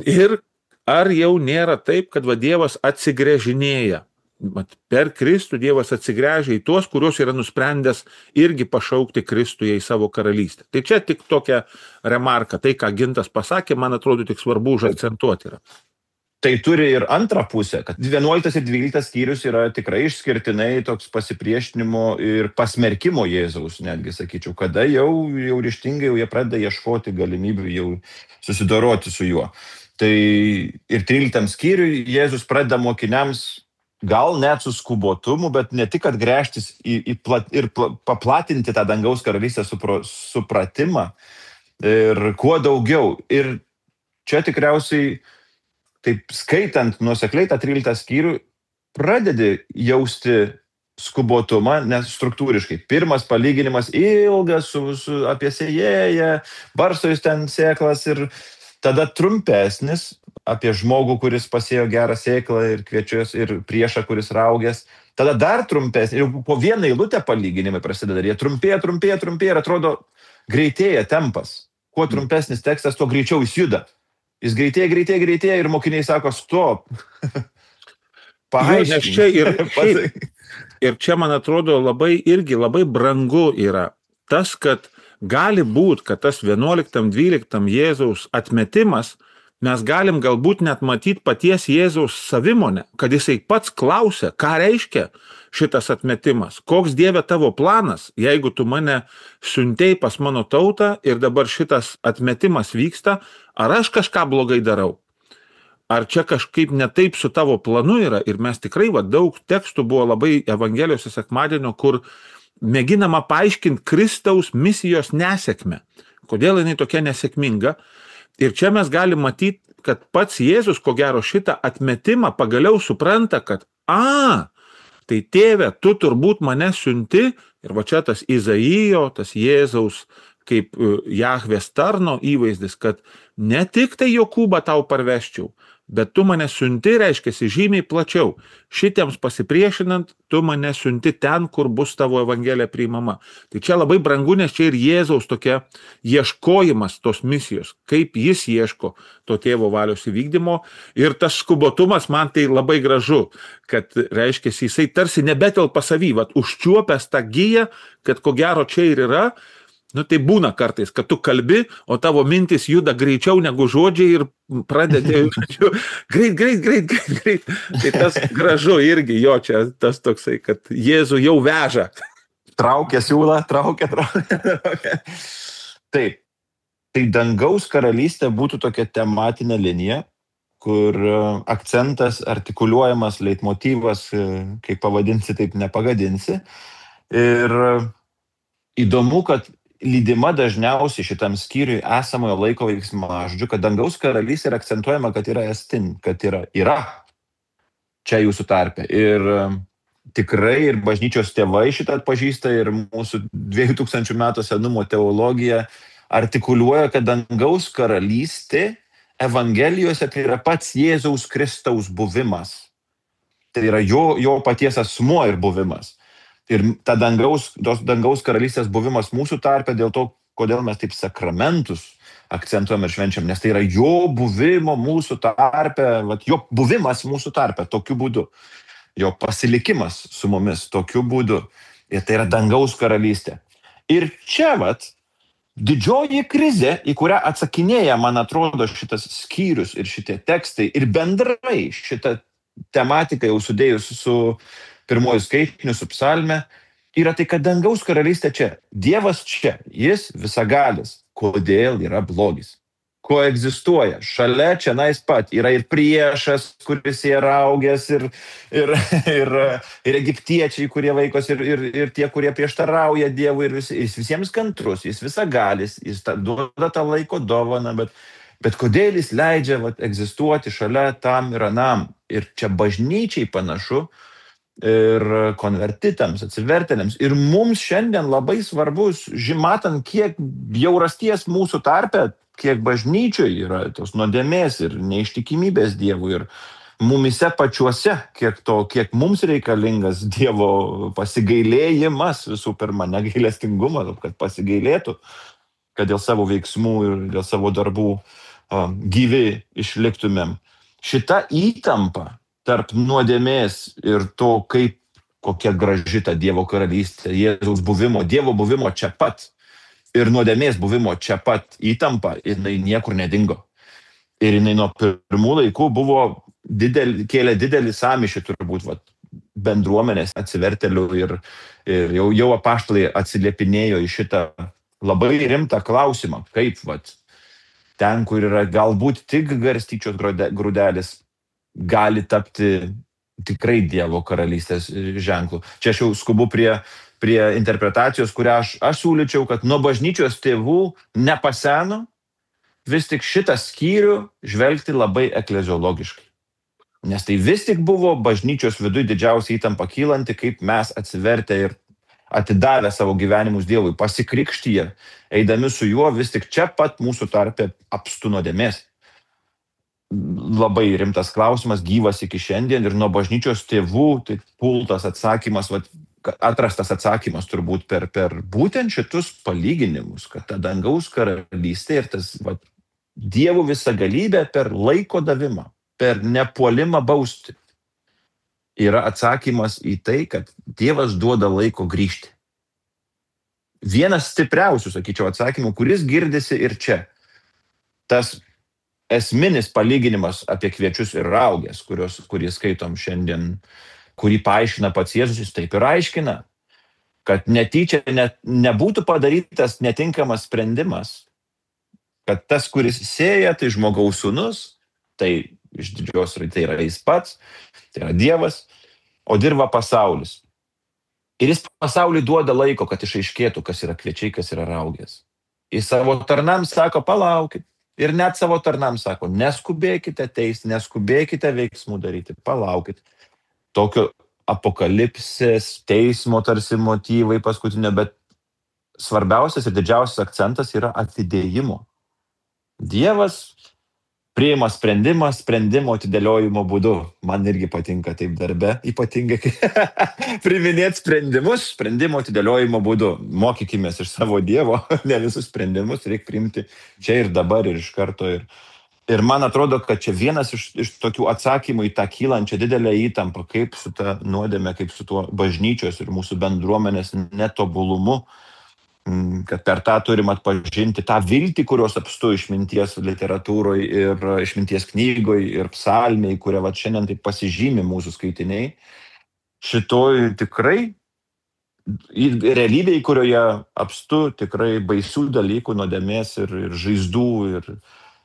ir ar jau nėra taip, kad va Dievas atsigręžinėja. Per Kristų Dievas atsigręžia į tuos, kuriuos yra nusprendęs irgi pašaukti Kristuje į savo karalystę. Tai čia tik tokia remarka, tai ką Gintas pasakė, man atrodo tik svarbu užakcentuoti yra. Tai turi ir antrą pusę, kad vienuoliktas ir dvyliktas skyrius yra tikrai išskirtinai toks pasipriešinimo ir pasmerkimo Jėzaus, netgi sakyčiau, kada jau, jau ryžtingai jau jie pradeda ieškoti galimybių jau susidoroti su juo. Tai ir tryliktam skyriui Jėzus pradeda mokiniams gal net su skubotumu, bet ne tik, kad gręžtis į, į plat, ir pla, paplatinti tą dangaus karalystės supro, supratimą ir kuo daugiau. Ir čia tikriausiai, taip skaitant nuosekliai tą tryliktą skyrių, pradedi jausti skubotumą, nes struktūriškai. Pirmas palyginimas ilgas su, su, apie sėjėją, barsto jis ten sėklas ir tada trumpesnis apie žmogų, kuris pasėjo gerą sėklą ir kviečius ir priešą, kuris raugės. Tada dar trumpesnis ir po vieną eilutę palyginimai prasideda. Jie trumpėja, trumpėja, trumpėja ir atrodo greitėja tempas. Kuo trumpesnis tekstas, tuo greičiau jis juda. Jis greitėja, greitėja, greitėja ir mokiniai sako stop. Jo, nes čia ir, šiaip, ir čia, man atrodo, labai irgi labai brangu yra tas, kad gali būt, kad tas vienuoliktam, dvyliktam Jėzaus atmetimas, mes galim galbūt net matyti paties Jėzaus savimonę, kad jisai pats klausia, ką reiškia šitas atmetimas, koks Dieve tavo planas, jeigu tu mane siuntei pas mano tautą ir dabar šitas atmetimas vyksta, ar aš kažką blogai darau. Ar čia kažkaip ne taip su tavo planu yra ir mes tikrai, va, daug tekstų buvo labai Evangelijose sekmadienio, kur mėginama paaiškinti Kristaus misijos nesėkmę. Kodėl jinai tokia nesėkminga? Ir čia mes galim matyti, kad pats Jėzus, ko gero, šitą atmetimą pagaliau supranta, kad a, tai tėve, tu turbūt mane siunti, ir va čia tas Izaijo, tas Jėzaus kaip Jahvės tarno įvaizdis, kad ne tik tai Jokūbą tau parveščiau, bet tu mane siunti, reiškiasi žymiai plačiau. Šitiems pasipriešinant, tu mane siunti ten, kur bus tavo evangelija priimama. Tai čia labai brangu, nes čia ir Jėzaus tokia ieškojimas tos misijos, kaip jis ieško to tėvo valios įvykdymo. Ir tas skubotumas man tai labai gražu, kad reiškiasi jisai tarsi nebetelpa savy, vat užčiuopęs tą giją, kad ko gero čia ir yra. Nu tai būna kartais, kad tu kalbi, o tavo mintis juda greičiau negu žodžiai ir pradedi greit, greit, greit, greit, greit. Tai tas gražu irgi jo čia, tas toksai, kad Jėzų jau veža. Traukia siūlą, traukia, traukia, traukia. Taip, tai dangaus karalystė būtų tokia tematinė linija, kur akcentas artikuliuojamas, leitmotyvas, kaip pavadinsi, taip nepagadinsi. Ir įdomu, kad lydima dažniausiai šitam skyriui esamojo laiko veiksmažodžiu, kad dangaus karalystė yra akcentuojama, kad yra estin, kad yra, yra čia jūsų tarpe. Ir tikrai ir bažnyčios tėvai šitą atpažįsta ir mūsų dviejų tūkstančių metų senumo teologija artikuliuoja, kad dangaus karalystė Evangelijose tai yra pats Jėzaus Kristaus buvimas. Tai yra jo, jo paties asmuo ir buvimas. Ir ta dangaus, tos dangaus karalystės buvimas mūsų tarpe dėl to, kodėl mes taip sakramentus akcentuojam ir švenčiam, nes tai yra jo buvimo mūsų tarpe, vat, jo buvimas mūsų tarpe tokiu būdu, jo pasilikimas su mumis tokiu būdu. Ir tai yra dangaus karalystė. Ir čia vat, didžioji krizė, į kurią atsakinėja, man atrodo, šitas skyrius ir šitie tekstai ir bendrai šitą tematiką jau sudėjus su pirmojų skaitinių su psalme, yra tai, kad dangaus karalystė čia. Dievas čia, jis visagalis. Kodėl yra blogis? Ko egzistuoja? Šalia čia nais pat yra ir priešas, kuris yra augęs, ir, ir, ir, ir egiptiečiai, kurie vaikos, ir, ir, ir tie, kurie prieštarauja Dievui, ir vis, jis visiems kantrus, jis visagalis, jis ta, duoda tą laiko dovaną, bet, bet kodėl jis leidžia vat, egzistuoti šalia tam ir anam? Ir čia bažnyčiai panašu, ir konvertitams, atsivertėliams. Ir mums šiandien labai svarbus, matant, kiek bjaurasties mūsų tarpe, kiek bažnyčioj yra tos nuodėmės ir neištikimybės Dievui. Ir mumise pačiuose, kiek, to, kiek mums reikalingas Dievo pasigailėjimas, visų pirma, negailestingumas, kad pasigailėtų, kad dėl savo veiksmų ir dėl savo darbų uh, gyvi išliktumėm. Šita įtampa tarp nuodėmės ir to, kaip kokia graži ta Dievo karalystė, Jėzaus buvimo, Dievo buvimo čia pat ir nuodėmės buvimo čia pat įtampa, jinai niekur nedingo. Ir jinai nuo pirmų laikų buvo didel, kėlė didelį sąmyšį turbūt vat, bendruomenės atsivertėlių ir, ir jau, jau apaštalai atsiliepinėjo į šitą labai rimtą klausimą, kaip vat, ten, kur yra galbūt tik garstyčios grūdelis, gali tapti tikrai Dievo karalystės ženklų. Čia aš jau skubu prie, prie interpretacijos, kurią aš, aš siūlyčiau, kad nuo bažnyčios tėvų nepaseno vis tik šitą skyrių žvelgti labai ekleziologiškai. Nes tai vis tik buvo bažnyčios viduje didžiausia įtampa kylanti, kaip mes atsivertę ir atidavę savo gyvenimus Dievui, pasikrikštyje, eidami su juo, vis tik čia pat mūsų tarpe apstu nuodėmės. Labai rimtas klausimas, gyvas iki šiandien ir nuo bažnyčios tėvų, tai pultas atsakymas, vat, atrastas atsakymas turbūt per, per būtent šitus palyginimus, kad ta dangaus karalystė ir tas vat, Dievo visagalybė per laiko davimą, per nepuolimą bausti, yra atsakymas į tai, kad Dievas duoda laiko grįžti. Vienas stipriausių, sakyčiau, atsakymų, kuris girdisi ir čia. Tas esminis palyginimas apie kviečius ir raugės, kurios, kurį skaitom šiandien, kurį paaiškina pats Jėzus, jis taip ir aiškina, kad netyčia ne, nebūtų padarytas netinkamas sprendimas, kad tas, kuris sėja, tai žmogaus sūnus, tai iš didžios tai yra jis pats, tai yra Dievas, o dirba pasaulis. Ir jis pasauliui duoda laiko, kad išaiškėtų, kas yra kviečiai, kas yra raugės. Jis savo tarnams sako, palaukit. Ir net savo tarnams sako, neskubėkite teisti, neskubėkite veiksmų daryti, palaukit. Tokio apokalipsės, teismo tarsi motyvai paskutinio, bet svarbiausias ir didžiausias akcentas yra atidėjimo. Dievas priima sprendimą sprendimo atidėliojimo būdu. Man irgi patinka taip darbe, ypatingai priiminėti sprendimus sprendimo atidėliojimo būdu. Mokykimės iš savo Dievo, ne visus sprendimus reikia priimti čia ir dabar ir iš karto. Ir, ir man atrodo, kad čia vienas iš, iš tokių atsakymų į tą kylančią didelę įtampą, kaip su ta nuodėme, kaip su tuo bažnyčios ir mūsų bendruomenės netobulumu, kad per tą turim atpažinti tą viltį, kurios apstu išminties literatūroje ir išminties knygoje ir psalmiai, kurie va šiandien taip pasižymi mūsų skaitiniai. Šitoj tikrai realybėje, kurioje apstu tikrai baisių dalykų, nuodėmės ir, ir žaizdų ir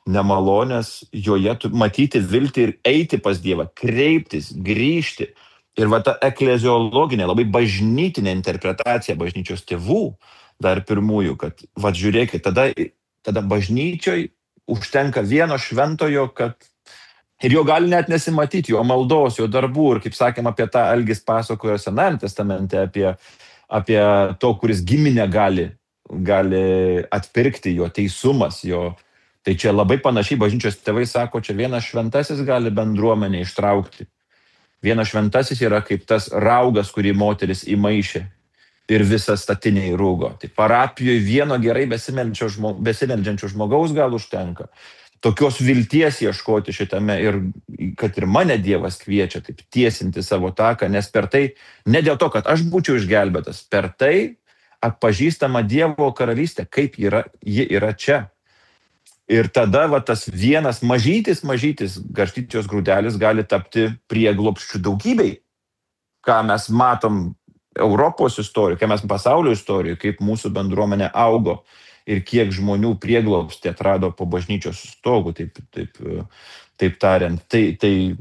nemalonės, joje matyti viltį ir eiti pas Dievą, kreiptis, grįžti. Ir va ta ekleziologinė, labai bažnytinė interpretacija bažnyčios tėvų, dar pirmųjų, kad, va, žiūrėkit, tada, tada bažnyčioj užtenka vieno šventojo, kad ir jo gali net nesimatyti, jo maldos, jo darbų, ir kaip sakėm, apie tą Algis pasakojo Senajame testamente, apie, apie to, kuris giminę gali, gali atpirkti, jo teisumas, jo. Tai čia labai panašiai bažnyčios tėvai sako, čia vienas šventasis gali bendruomenę ištraukti. Vienas šventasis yra kaip tas raugas, kurį moteris įmaišė. Ir visą statiniai rūgo. Tai parapijoje vieno gerai besimeldžiančio žmogaus gal užtenka. Tokios vilties ieškoti šitame ir kad ir mane Dievas kviečia taip tiesinti savo taką, nes per tai, ne dėl to, kad aš būčiau išgelbėtas, per tai atpažįstama Dievo karalystė, kaip yra, ji yra čia. Ir tada va, tas vienas mažytis, mažytis garstyčios grūdelis gali tapti prieglobsčiu daugybei, ką mes matom Europos istorijoje, kai mes pasaulio istorijoje, kaip mūsų bendruomenė augo ir kiek žmonių prieglobstį atrado po bažnyčios stogu, taip, taip, taip tariant. Tai, tai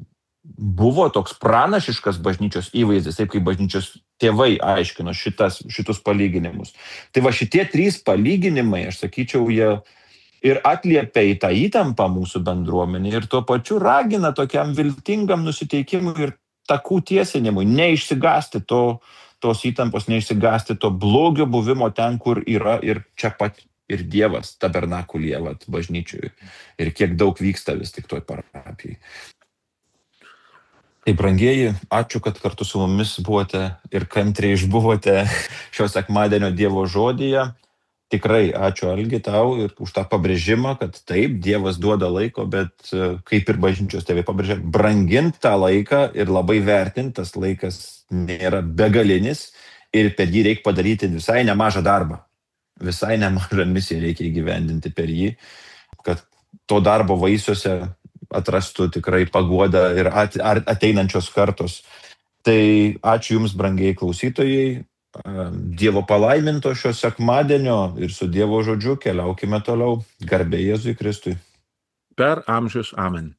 buvo toks pranašiškas bažnyčios įvaizdis, taip kaip bažnyčios tėvai aiškino šitas, šitus palyginimus. Tai va šitie trys palyginimai, aš sakyčiau, jie ir atliepia į tą įtampą mūsų bendruomenį ir tuo pačiu ragina tokiam viltingam nusiteikimui ir takų tiesinimui, neišsigąsti to, tos įtampos, neišsigąsti to blogio buvimo ten, kur yra ir čia pat ir Dievas tabernakulyje, vat, bažnyčiui. Ir kiek daug vyksta vis tik toj parapijai. Tai brangieji, ačiū, kad kartu su mumis buvote ir kantriai išbuvote šio sekmadienio Dievo žodyje. Tikrai ačiū, Algi, tau ir už tą pabrėžimą, kad taip, Dievas duoda laiko, bet kaip ir bažnyčios tėvai pabrėžia, brangint tą laiką ir labai vertint, tas laikas nėra begalinis ir per jį reikia padaryti visai nemažą darbą. Visai nemažą misiją reikia įgyvendinti per jį, kad to darbo vaisiuose atrastų tikrai paguodą ir ateinančios kartos. Tai ačiū Jums, brangiai klausytojai. Dievo palaiminto šio sekmadienio ir su Dievo žodžiu keliaukime toliau. Garbė Jėzui Kristui. Per amžius. Amen.